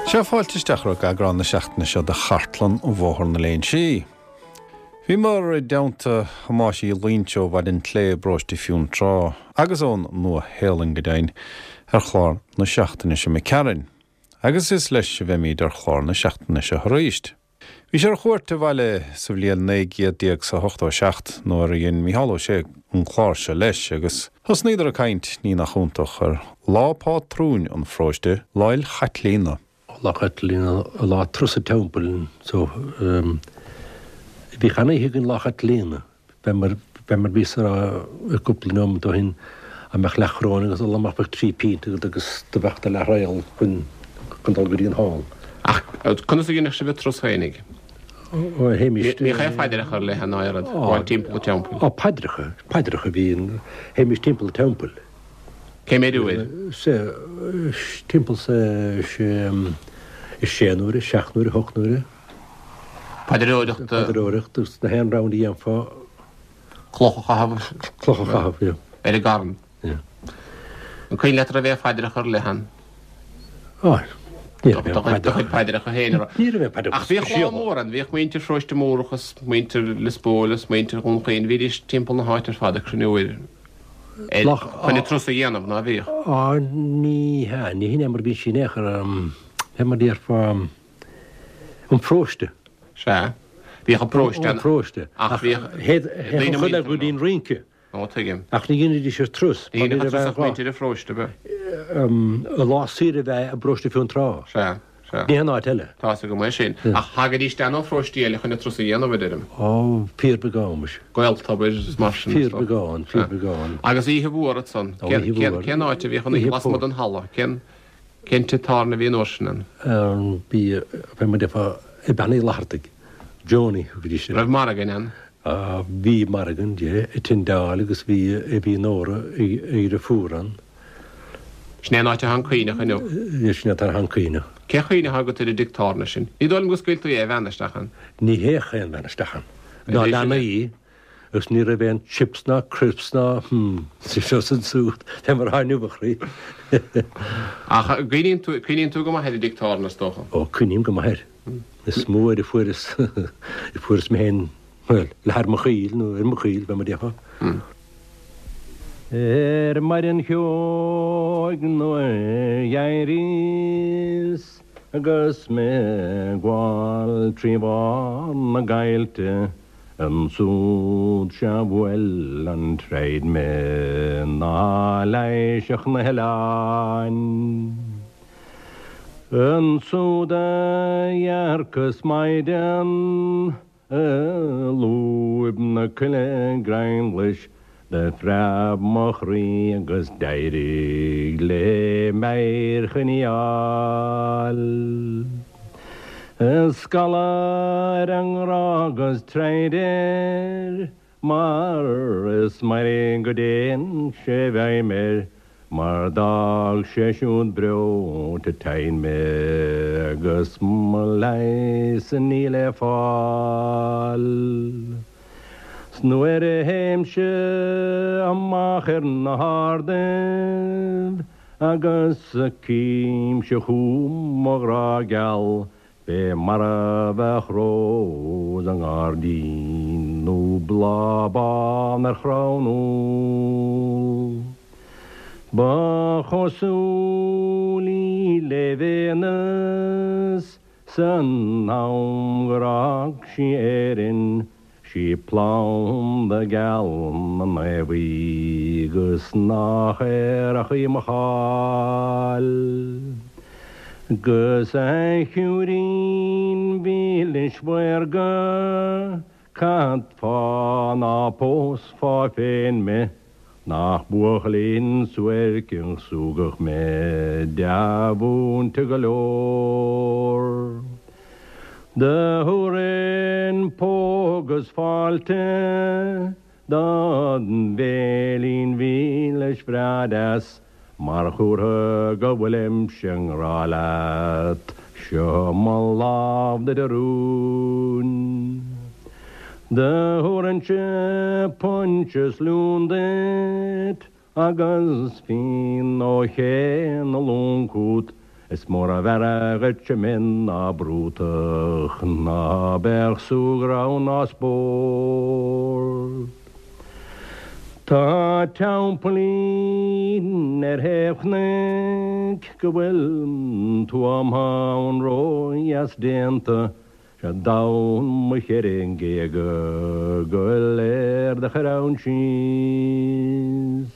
Sea, fáilte isteach roimh eagrán na seachtaine seo de Chartlann Bhóthar na Léinsí. Bhíomar i dteannta Thomáis Uí Loingsigh ó Bhaile an tSlé i bparóiste Fionntrá, agus ón Nua-Shéalainn go deimhin, ar chlár na seachtaine seo imigh tharainn. Agus is leis a bheimíd ar chlár na seachtaine seo arís. Bhí sé ar chuairt abhaile sa bhliain 1987 nuair a dhein Mícheál Ó Sé an clár seo leis agus thosnaíodar ag caint, ní nach iontach, ar lá pátrúin an pharóiste, Lá 'le Caitlíona. Lá Chaitlíona, lá turas an teampaill so bhíodh an-oíche againn Lá Chaitlíona. Fé mar, fé mar bhíos a rá cúpla nóimeat ó shin, dá mbeadh leathchoróin agat ag dul amach bheadh trí phínte agat agus do bheadh do leathréal chun, chun dul go dtí an hall. Ach conas a dheineadh sibh an turas féinig? Ó, théimist. Bhíodh aon phaidreacha ar leith ná aon rud, gabháil timpeall an teampaill? Ó, paidreacha, paidreacha a bhí in, théimist timpeall an teampaill. Cé mhéad uair? Sea, timpeall sa, sé, sé n-uaire, seacht n-uaire, hocht n-uaire. Paidreoireachta. Paidreoireacht agus na haon round a dhéanfá. Cloch a chaitheamh. Cloch a chaitheamh, yeah. Ar an gcarn. Yeah. An cuimhin leat an raibh aon phaidreacha ar leith ann? Á, ní raibh aon paidreacha. Do chuid paidreacha féin a raibh. Ní raibh aon paidreacha Ach bhíodh lá mór ann, bhíodh muintir Pharóiste Mórdhach is muintir Lios Póil is muintir Dhún Chaoin, bhídís timpeall na háite ar fad ag cruinniú ar chun an turas a dhéanamh, ná bhíodh? Á, ní hea, ní hin é mar a bhí sí in aon chor, fé mar a déarfá. An pharóiste. Sea. Bhíodh an paróiste ann. An paróiste. Ach bhíodh daoine muinteartha. Chuile go dtí an rince. Ó, tuigim. Ach ní dheinidís an turas. Ní dhéanfadh an turas ach muintir an pharóiste, ab ea? Lá saoire a bheith i bparóiste Fionntrá. Sea, sea. Ní haon áit eile. Tá's agam é sin. Ach thagaidís isteach ó pharóistí eile chun an turas a dhéanamh, a deirim. Ó, fíorbheagán, muise. Gaeltobair is mar sin. Fíorbheagán, fíorbheagán. Agus oíche mhór ansan. Oíche mhór. Cén áit a bhíodh an oíche lasmuigh den halla? Cén. Cén tigh tábhairne a bhí an uair sin ann? Bhí, fé mar a déarfá, i Bean Uí Fhlathartaigh, Joanie a thugaidís air. Raibh margadh ann? Bhí margadh ann, yeah, i Tyndall agus bhí, bhí Nóra a dheirfiúr ann. Sin é an áit atá an Caoineach inniu? Yeah, sin é atá an Caoineach. Cén chuimhne atá agat ar an dtigh tábhairne sin? Ní dóigh liom go scaoiltí aon bhean isteach ann. Ní théadh aon bhean isteach ann, ná leanaí. Agus ní raibh aon chips ná crisps ná hmm seo is ansiúd fé mar atá inniu a chroí. Ach cuimhníonn tú, cuimhníonn tú go maith ar an dtigh tábhairne is dócha? Ó, cuimhním go maith air. Is mó uair a fuaireas, a fuaireas mé féin, bhuel, leath ar mo chaol nó ar mo chaol, fé mar a déarfá. Ar maidin cheoigh nuair a d'éiríos agus mé ag gabháil trí bharr na gcoillte, Ansúd sea bhuail an troid mé ná leighisfeadh na hoileáin. Ansúd a dhearcas maighdean i lúib na coille greimghlais Do phreab mo chroí agus d'éirigh léi m'aer choinneáil. Is galar an ngrá agus troid air, mar is mairg go dtéann sé i bhfeidhm air, mar d'fhág sé siúd breoite tinn mé agus mo leigheas níl le fáil. 'S nuair a théimse amach ar na hardaibh agus a címse chugam mo ghrá geal fé mar a bheadh rós i ngairdín nó bláth bán ar chrann úll. Ba chosúil í le Véineas San am gur fhág sí Éirinn, 'sí planda geal na naomh í 'gus nach aerach í mo cháil. 'Gus a shiúirín mhílis mhaorga, Cad fáth ná pósfá féin mé, Nach buachaillín suairc an súgach mé, dea-mhúinte go leor. Do thabharfainn póg is fáilte dod bhéilín mhílis bhreá deas, Mar chomhartha go bhfuilimse i ngrá leat, seo mo lámh duit a rún. Do thabharfainnse punch is liún duit agus fíon ó ché na long chút. Is mór ab fhearra dhuit mionn ná brútach, ná beadh súgradh ann ná spórt. Tá teampaillín ar thaobh chnoic go bhfuil tuama ann ródheas déanta, 'Sé domhan mo cheithre ngéaga go léir do chur ann síos.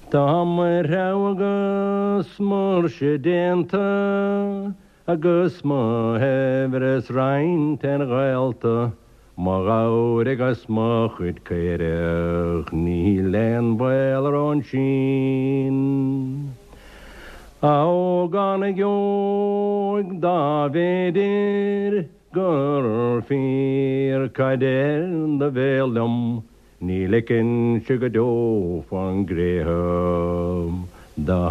Tá mo threabhadh agus m'fhuirse déanta agus mo shaibhreas roinnte ar ghaolta, mo ghabhair agus mo chuid caorach, níl aon bhaol orthu ansin. A ógánaigh óig dá mb'fhéidir gur fíor cad deir do bhéal liom, Ní ligfinnse go deo fán gcré thú dá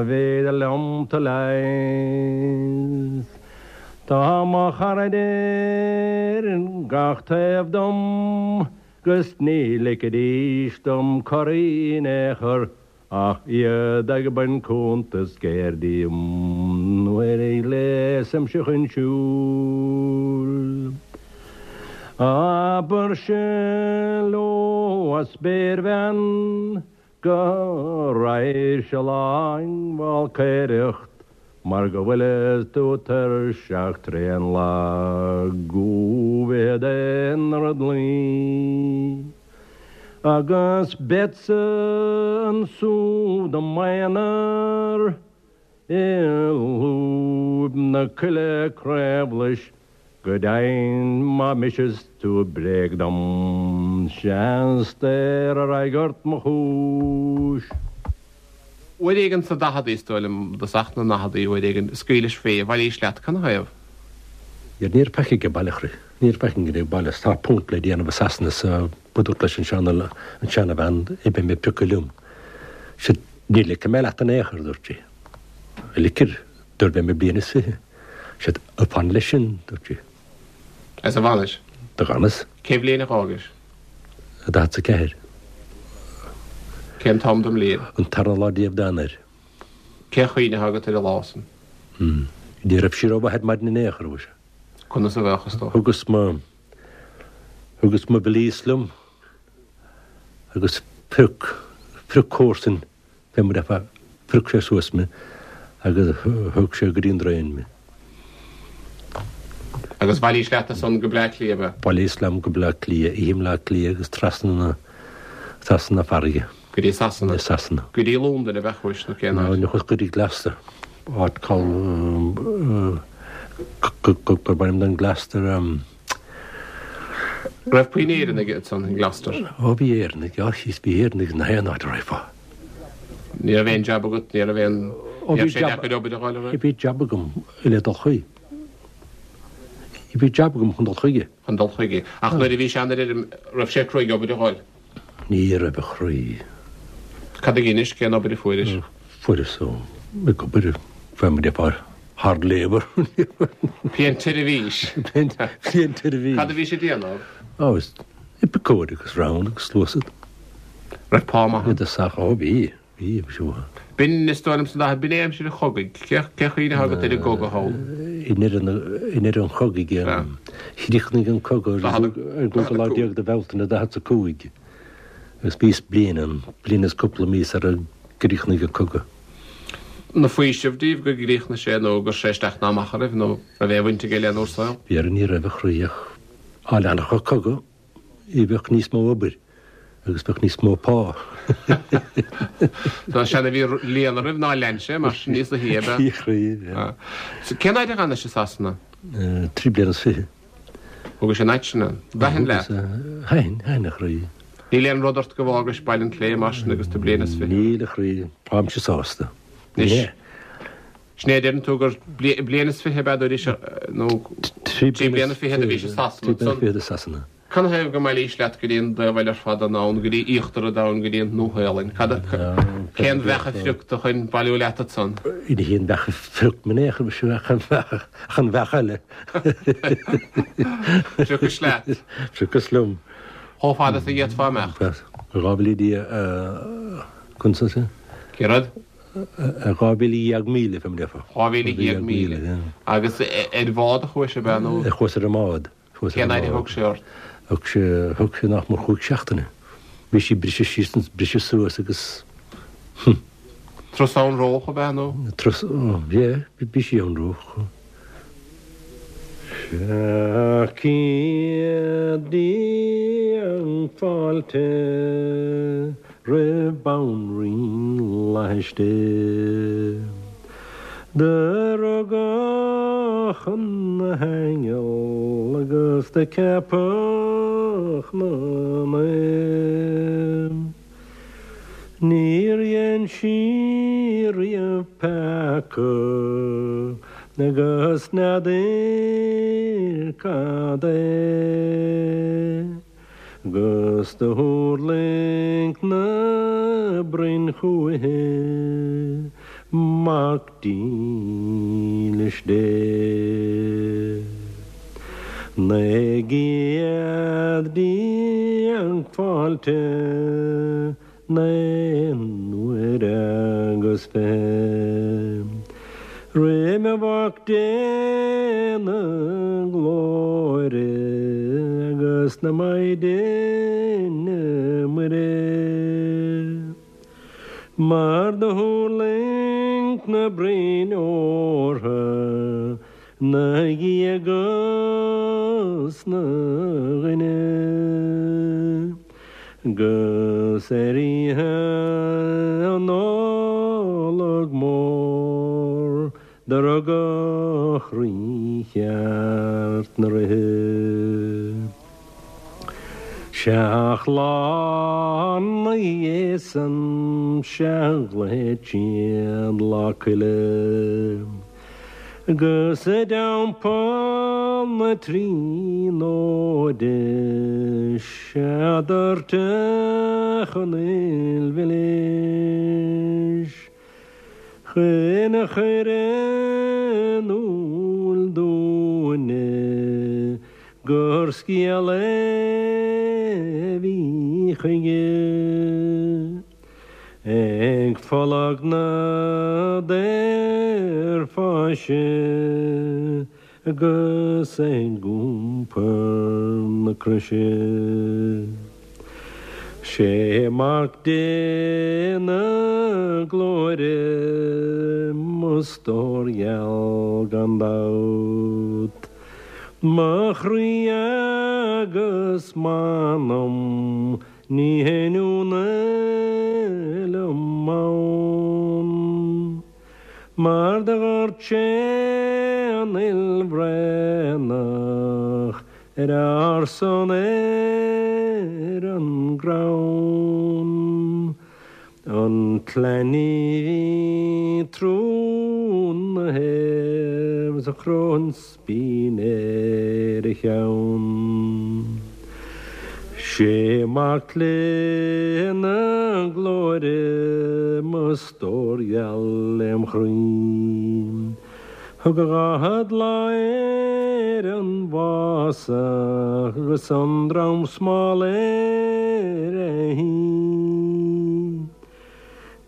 mb'fhéidir liom tu leigheas. Tá mo charaid ar gach taobh dom 'gus ní ligfidís dom corraí in aon chor Ach iad ag baint cuntas géar díom nuair a ghléasaimse chun siúil. Abairse leo a spéirbhean go raghadh-se lá ag falcaeireacht mar go bhfuileas tú tuirseach tréan lag go bhfichead aon rud luí. Agus beadsa ansúd i m'aonar i lúib na coille craobhlais, go deimhin má mhiseas tú bréag dom, seans daor a raghaidh ort mo chúis. Uair éigin sna daicheadaí, is dóigh liom, i dtosach na ndaicheadaí, uair éigin, scaoilis fé, bhailís leat, canathaobh? Ní raibh faic ag baile, a chroí. Ní raibh faic ag baile. Tá punt le déanamh i Sasana so dúrt leis an seana, an seanabhean, beidh mé pioctha liom. Sea, ní ligfidh mé leat in aon chor, a dúirt sí. Ligfir, dúirt beidh mé bliain is fiche. Sea, fan leis sin, dúirt sí. Is a bhfanais? Do dh'fhanas. Cé bhliain a dh'fhágais? 44. Cén t-am den mbliain? An tarna lá déag d'Eanáir. Cén chuimhne atá agat ar an lá san? Ní raibh sí rómhaith ar maidin in aon chor, mhuise. Conas a bheadh, is dócha? Thugas mo, thugas mo valise liom agus phrioc, phrioc comharsan fé mar a phrioc sé suas mé agus thug sé go dtí an traein mé. Agus bhailís leat ansan go Bleá Cliath, ab ea? Bhailíos liom go Bleá Cliath, oíche i mBleá Cliath agus trasna na, trasna na farraige. Go dtí Sasana? Go dtí Sasana. Go dtí Londain ab ea chuais nó cén áit? Nó chuas go dtí Gloucester, áit called, gurb ainm don Gloucester. Raibh puinn Éireannaigh ansan in Gloucester? Ó bhí Éireannaigh, á chíos bhí Éireannaigh i ngach aon áit a raghfá. Ní raibh aon jab agat, ní raibh aon, ní raibh sé deacair obair a fháil, an raibh? Bhí jab agam le dul chuige. Bhí jab agam chun dul chuige. Chun dul chuige. Ach nuair a bhí sé an ar fheirm, raibh sé cruaidh obair a fháil? Ní raibh a chroí. Cad a dheinis, cén obair a fuairis? Fuaireas ag obair, fé mar a déarfá, hard labour. Piantseirbhís. Piantseirbhís. Cad a bhís ag déanamh? Ó, is ag piocadh agus round agus sluasad. Raibh pá maith ann? I dtosach, ó bhí, bhí, bhí sé mhaith. B'in, is dóigh liom sna daicheadaí, b'in é aimsir an chogaidh. Cé, cé chuimhne atá agat ar an gcogadh thall? I ndeireadh an chogaidh, chríochnaigh an cogadh ar an gcúigiú lá déag de Bhealtaine 45 agus bhíos bliain ann, bliain is cúpla mí sara gcríochnaigh an cogadh. An faoiseamh daoibh go gcríochnaigh sé nó go raibh sé isteach ná amach oraibh nó raibh aon bhaint aige lenúr saol? B'fhéidir ní raibh a chroí ach dá leanfadh an cogadh. Bheadh níos mó obair agus bheadh níos mó pá. Tá sé ina bhí léan oraibh nár lean sé mar sin níos luaithe ab ea? Cén fhaid a dh'fhanais i Sasana? 3 bliana is fiche. Thugais an fhaid sin ann. Thaitin leat? Thaitin, thaitin a chroí. Níl aon rud ort go bhfágais Baile an tSléibhe mar sin agus tú bliain is fiche? Níl a chroí, táimse sásta. Anois, sin é a deireann tú gur bliain is fiche ab ea dúiris nó trí bliana fichead a bhís i Sasana. Trí bliana fichead i Sasana. Canathaobh go mbailís leat go dtí an dtaobh eile ar fad den domhan, go dtí íochtar an domhain, go dtí an Nua-Shéalainn? Cad a, cén bheach a phrioc tú chun bailiú leat ansan? Ní hí an bheach a phrioc mé in aon chor, ach an bheach, ach an bheach eile. Phriocais leat? Phriocas liom. Chomh fada is a d'fhéadfá imeacht? 2000 Dia, conas é? Cé rud? 12,000 míle, fé mar a déarfá. 12,000 míle. Agus ar bhád a chuais, ab ea, nó? Chuas ar an mbád. Cén fhaid a thug sé ort? Thug sé, thug sé nach mór chúig seachtaine. Bhí sí briseadh síos, briseadh suas agus, hm. Turas anróch ab ea nó? Turas, oh, yeah, bhí sí anróch. 700 bliain fáilte roimh Bhanríon Fhlaithis Dé. Do rugadh ina haingeal agus do ceapadh 'na naomh. Níor dhein sí riamh peaca agus n'fheadair cad é. 'Gus do thuirling na broinn chúithi, Mac dílis Dé. 19 bliain fáilte, naoi n-uaire agus 20. Roimh Mhac Dé na glóire agus na Maighdine Muire. Mar do thuirling na broinn órdha 'na Dhia 'gus 'na dhuine, 'gus ar oíche Nollag mór do rugadh Rí cheart na ríthe. Seacht lá 'na dhiaidh san 'sea ghlaoid siad Lá Coille. 'Gus i dTeampall na Tríonóide 'sea doirteadh an fhuil mhilis chun a chur in iúl dúinne gur scéal é a bhí chuige. Ag folag na daorpháise agus ag iompar na croise. Sé Mac Dé na glóire mo stór gheal gan dabht, mo chroí agus m'anam Ní haon ionadh liom ann, mar do dhoirt sé an fhuil bhraonach ar ár son ar an gcrann. An tsleamhnaigh bhí trúnaithe 's a choróin spíon ar a cheann. Sé Mac Dé na glóire mo stór gheal lem chroí. Thug a 40 lá air an bhfásach agus an dramsmál ar a thí.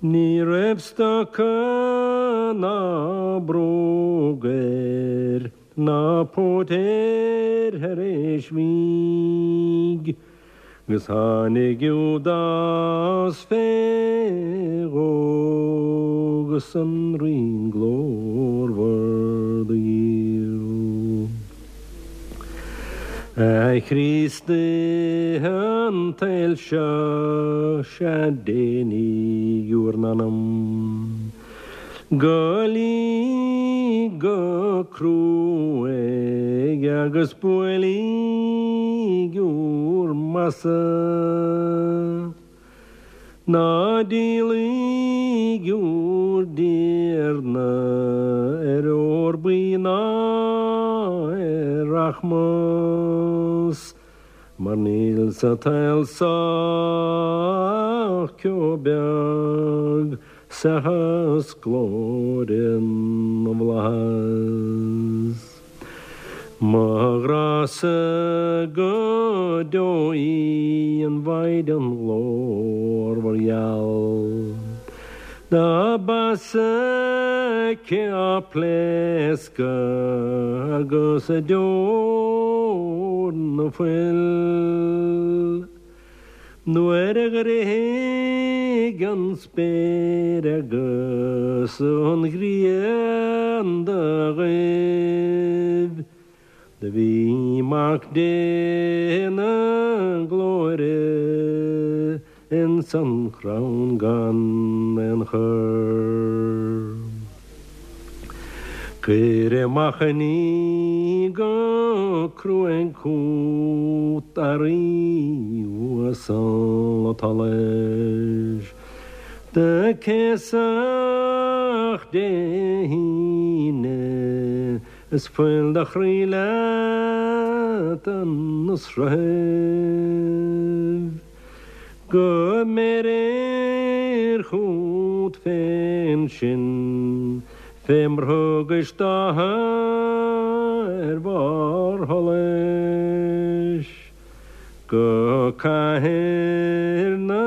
Ní raibh stoca ná bróg air ná póit air thar éis mhígh, 'gus tháinig Iúdás fé dhó 'gus an ríon glórmhar do dhíol. A Chríostaithe an tsaoil seo, sea déanaíg bhur n-anam Gabhailíg go cruaidh agus buailíg bhur mbasa. Ná díolaíg bhur dTiarna ar ór buí ná ar rachmas, mar níl sa tsaol so ach ceo beag seachas glóire na bhflaitheas. Mo ghrá-sa go deo í an Mhaighdean ghlórmhar gheal. Dá b'fheasa aici á pléascadh agus a deor 'na fuil. Nuair a dhruidfidh an spéir agus an ghrian do ghoibh. Do bhí Mac Dé na glóire ins an chrann gan aon chor. Cuir amach an ní go cruaidh chút a Rí uasal an tsolais. Do céasadh Dé hAoine Is fuil do chroí leat 'na sruthaibh, Go mbeirir chút féin sinn, Fé mar thugais d'athair barr sholais, Go cathair na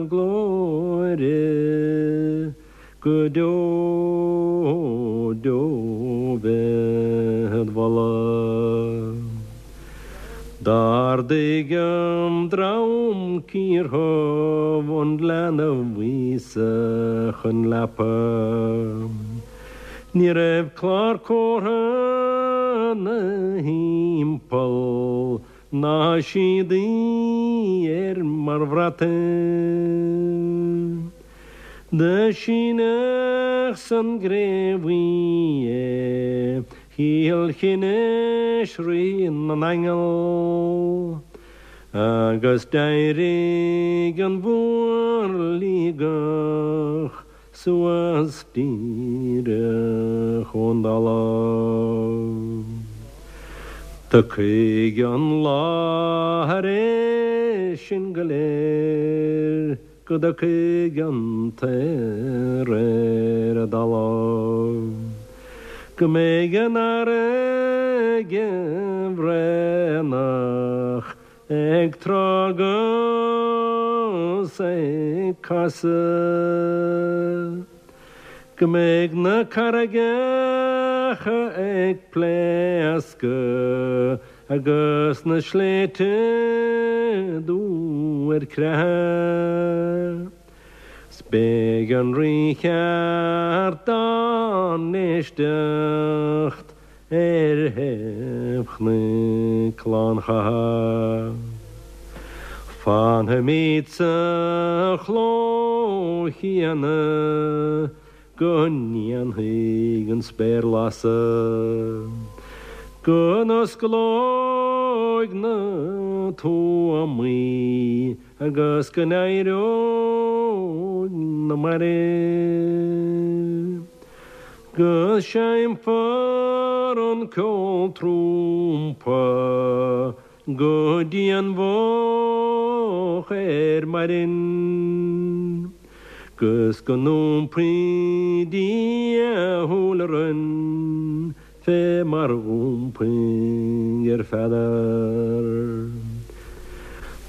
glóire. Go deo deo bead mholadh. D'ardaigh an dream ciardhubh an leanbh Íosa chun leapa. Ní raibh clár comhartha 'na thimpeall ná síodaí air mar bhrat. Do síneadh san gcré bhuí é, shíol chine Rí na n-aingeal, agus d'éirigh an mhór-liagach suas díreach ón dtalamh. Tiocfaidh an lá thar é sin go léir. Go dtiocfaidh an t-aer ar an dtalamh, Go mbeidh an fharraige bhraonach ag trá 'gus ag casadh, Go mbeidh na carraigeacha ag pléascadh Agus na sléibhte dubha ar creathadh, 's beidh an Rí cheart dá n-éisteacht ar thaobh Chnoic Lán-Chatha. Fanfaimid sa chló chéanna Go ndéanfaidh an spéir lasadh, Go n-osclóidh na tuamaí Agus go n-éireoidh na mairbh, Go seinnfear an ceol trumpa Go dtí an mhoch ar maidin, 'Gus go n-iompaí Dia a shúil orainn Fé mar dh'iompaigh ar Pheadar.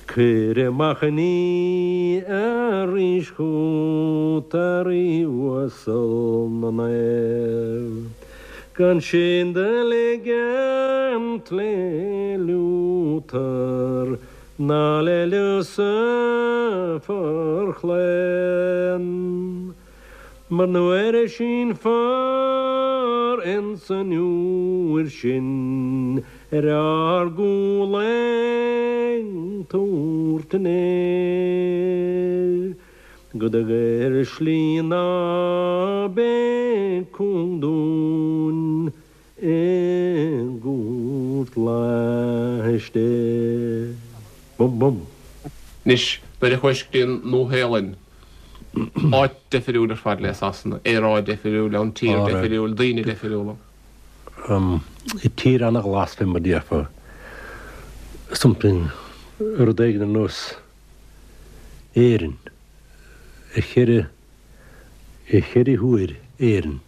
Cuir amach an ní arís chút, a Rí uasal na naomh. Gan sinn do ligint le Liútar ná le Lucifer chlaon, Mar nuair a sínfear ins an uair sin ar ár gcúl ag tabhairt an fhéir, Go dtuga ar shlí ná beidh cúng dúinn i gcúirt laistigh. Bum bum. Anois, nuair a chuais go dtí an Nua-Shéalainn, áit deifiriúil ar fad le Sasana, aeráid deifiriúil ann, tír deifiriúil, daoine deifiriúla. Tír ana-ghlas fé mar déarfá, something, rud éigin ar nós Éirinn, a cheithre, a cheithre huair Éirinn,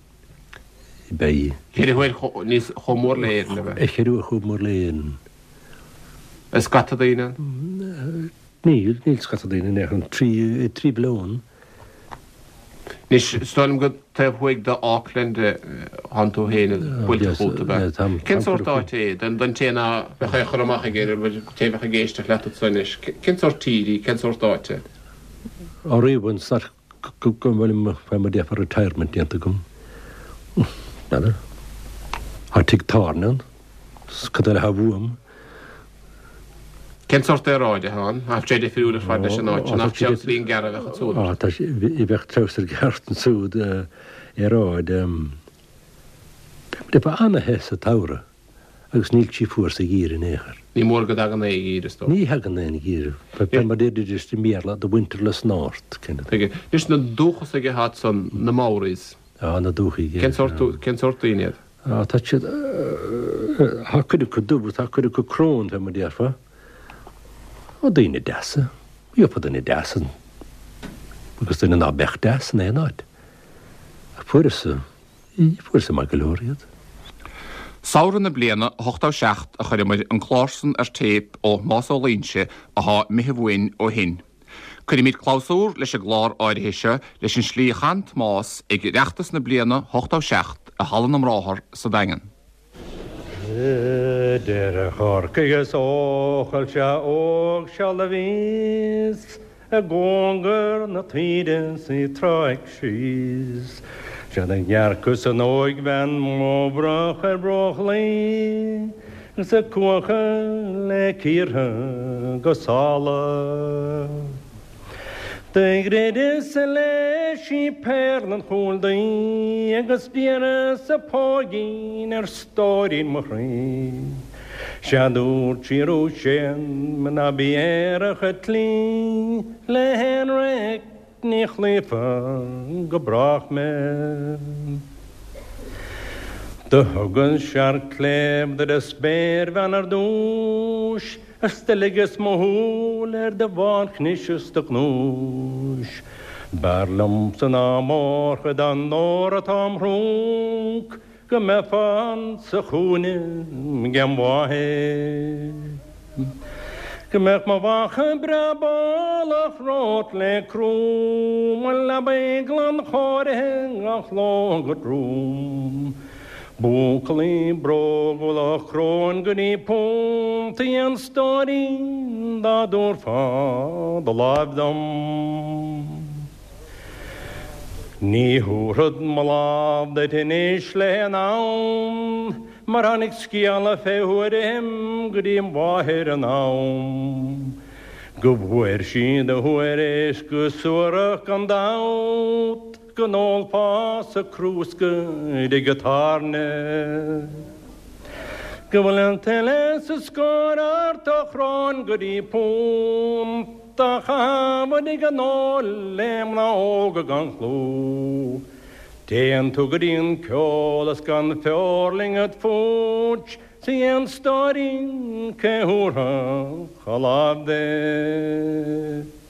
beidh. Ceithre huair níos, chomh mór le Éirinn, ab ea? A cheithre huair chomh mór le Éirinn. Is scata daoine ann? Níl, níl scata daoine in aon chor, 3 mhilliún. Anois, is dóigh liom gur taobh thuaidh de Auckland atánn tú féin buailte fút, ab ea? Cén sórt áit é, don té ná beadh aon chur amach aige air, an té a bheadh ag éisteacht leat anso anois? Cén sórt tír í, cén sórt áit é? Ó riamh an go bhfuil fé mar déarfá retirement déanta agam. N'fheadar. Tá tigh tábhairne ann. Cad eile atá uaim? Cén sórt aeráide atá ann? Nach sé difriúil ar fad leis an áit seo? Nach treabhsairín gearr a bheadh ansúd ort? Tá sé, bheadh treabhsar gearr ansúd, aeráid. Bheadh ana-the sa tsamhradh. Agus níl sí fuar sa gheimhreadh in aon chor. Ní mór go dtagann aon gheimhreadh, is dócha. Ní thagann aon gheimhreadh. Fé mar deiridís i mBéarla, the winterless north, kind of thing. Anois na dúchasaigh atá ansan, na Maoris. Á, na dúchasaigh, yeah. Cén sórt, cén sórt daoine iad? Á, tá siad, tá cuid acu dubh, tá cuid acu crón, fé mar déarfá. Ó, daoine deasa. Gheofá duine deas agus duine ná beadh deas in aon áit. Ach fuaireas-sa Fuaireas-sa maith go leor iad. Samhradh na bliana 87 a chuireamair an clár san ar téip ó Thomás Ó Loingsigh athá imithe uainn ó shin. Cuirimid clabhsúr leis an gclár áirithe seo leis an slí a chan Tomás ag Oireachtas na bliana 87 i Halla na mBráthar sa Daingean. Idir Chorcaigh is Eochaill sea óg seal a bhíos i gcóngar na taoide 's í tráigh síos. Sea do dhearcas an óigbhean mo bhroch ar bruach Laoi 's ag cuachadh le cíortha go sála. Do dhruideas i leith sí péarla an chúil daoi agus d'iarras a póigín ar stóirín mo chroí. Sea dúirt sí arú séan me ná bí aerach ag cloí le haon raic ní chloífeá go brách mé. Do thugas searc cléibh duit a spéirbhean ar dtúis Is do ligeas mo shúil ar do bhánchnis is do ghnúis. B'fhearr liomsa ná mórchuid den ór atá im thrúnc go mbeifeá insa chúinne 'gem mháthair. Go mbeadh mo mhacha breá bálach romhat le crú, mo leabaidh glan chóirithe gach ló go trom. Buachaillí brógúla ó chróin go dtí puntaí an stóirín dá dtabharfá do láimh dom. Ní thabharfad mo lámh duit anois le haon fhonn mar tháinig scéala fé thuairim go dtí mháthair in am go bhfuair sí do thuairisc go suarach gan dabht. Go n-ólfá-sa crúsca i dtigh an tábhairne. Go bhfuil an tuile 's an scór ort ó chróin go dtí punt á chaitheamh i dtigh an óil le mná óga gan chlú. Téann tú go dtí an ceol is gan feoirling a'd fút 's a stóirín cé thabharfadh a lámh duit.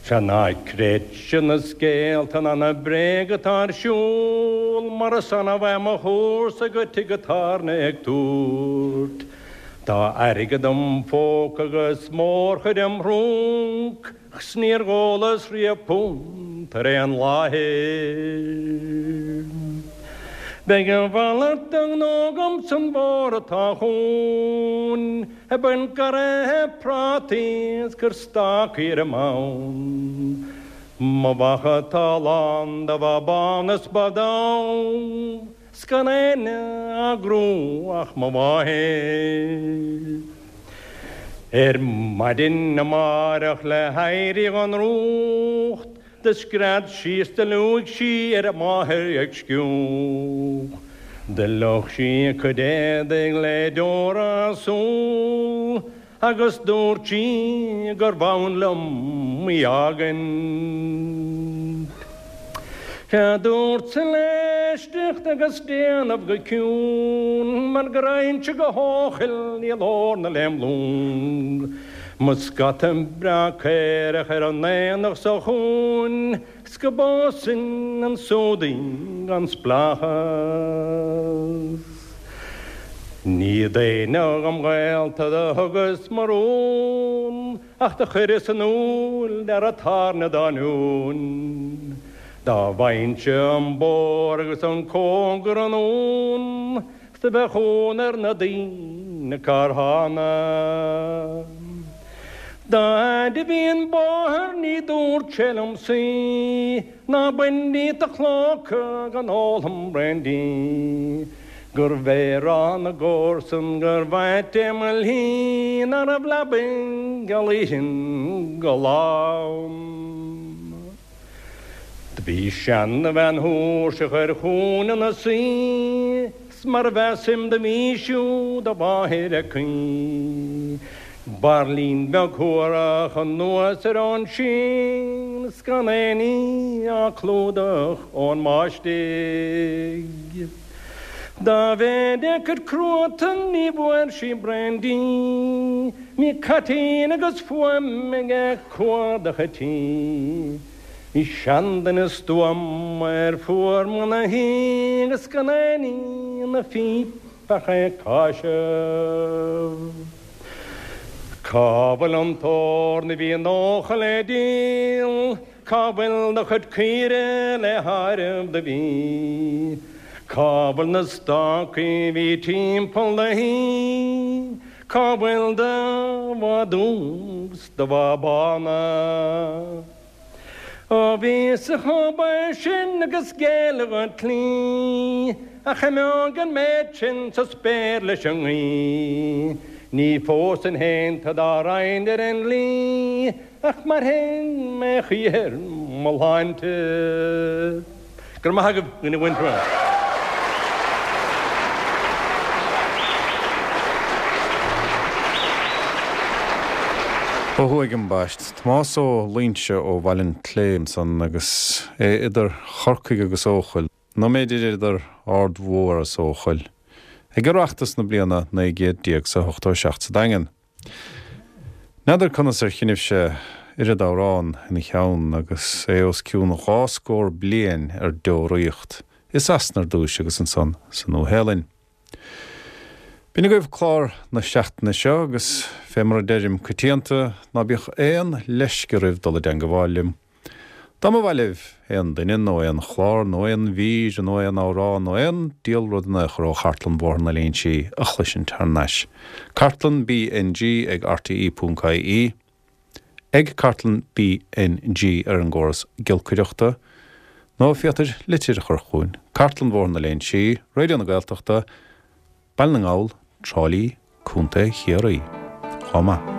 Sea ná creidse na scéalta ná na bréaga atá ar siúl mar is annamh é mo chúrsa go tigh an tábhairne ag tabhairt. Tá airgead im phóca agus mórchuid im thrúnc 's níor dhólas riamh punt ar aon láthair. Beidh a mhalairt de ghnó agam san bhfómhar atá chugainn, ag baint garraithe prátaí is cur stácaí ar an mbonn. Mo bheacha atá lán de bha bán is ba donn, 's gan éinne á gcrú ach mo mháthair. Ar maidin amáireach le héirí gon drúcht, Do scread sí is do liúigh sí ar a máthair ag sciúch. Do fhliuch sí a cuid éadaigh le deora a súl agus dúirt sí gurbh fhonn liom í fhágaint. Sea, dúrtsa léi éisteacht agus déanamh go ciúin mar go raghainnse go hEochaill i lár na lem long. Mo scata breá caorach ar an aonach seo chugainn 's go bpósfainn ansúd í gan spleáchas. Ní d'éinne dhom ghaolta do thugas mo rún ach do chuireas in iúl d'fhear an tábhairne dá ngiúin. Dá bhfaighinnse an bóthar agus an cóngar anonn 's do bheadh ionadh ar na daoine cár thána. Dá fhaid a bhí an bóthar ní dúirt sé liom suí ná bain díot do chlóca go n-ólfainn braon de. Gurbh é rá na gcomharsan gurbh ait é mo shlí ná raibh leabaidh geal oíche go lá ann. Do bhí seana-bhean thuirseach ar chúinne ina suí 's mar a mheasaim do bhí siúd a mháthair aici. Bairillín beag shuarach anuas ar an sín 's gan aon ní á clúdach ón mbáistigh. Dá mhéid a cuid cruatan ní bhfuair sí braon dí. Bhí caitín agus fuaim aige cuardach a tí. Bhí seanduine stuama ar fuar mbun a thí agus gan aon ní ina phíp ach é ag cáiseamh. Cá bhfuil an t-órn a bhí 90 le díol? Cá bhfuil do chuid caoire le háireamh do bhí? Cá bhfuil na stácaí bhí timpeall do thí? Cá bhfuil do bha dubh 's do bha bána? Ó bhíos-sa chomh baoth sin agus géilleadh an tslí a choimeodh an méid sin sa spéir leis an ngaoth, ní phósfainn féin tu dá raghainn ar an dlí. Ach mairfidh mé choíche ar mo shláinte. Go raibh maith agaibh, a dhaoine mhuinteartha. Ó thuaidh ambaist. Tomás Ó Loingsigh ó Bhaile an tSléibhe ansan agus é idir Chorcaigh agus Eochaill, nó mb'fhéidir idir Ard Mhór is Eochaill, ag Oireachtas na bliana 1987 sa Daingean. N'fheadar conas ar shuigh sé oiread amhrán ina cheann agus é os cionn dhá scór bliain ar deoraíocht, i Sasana ar dtúis agus ansan sa Nua-Shéalainn. B'in agaibh clár na seachtaine seo agus fé mar a deirim coitianta, ná bíodh aon leisce oraibh dul i dteangabháil liom. Dá mba mhaith libh aon duine nó aon chlár nó aon mhír nó aon amhrán nó aon diabhal rud in aon chor ó Chartlann Bhóthar na Léinsí a chloisint thar n-ais, Cartlann BNG ag rte ponc ie, ag Cartlann BNG ar an gcóras giolcaireachta, nó féadfair litir a chur chugainn, Cartlann Bhóthar na Léinsí, Raidió na Gaeltachta, Baile na nGall, Trá Lí, Contae Chiarraí. Chomh maith.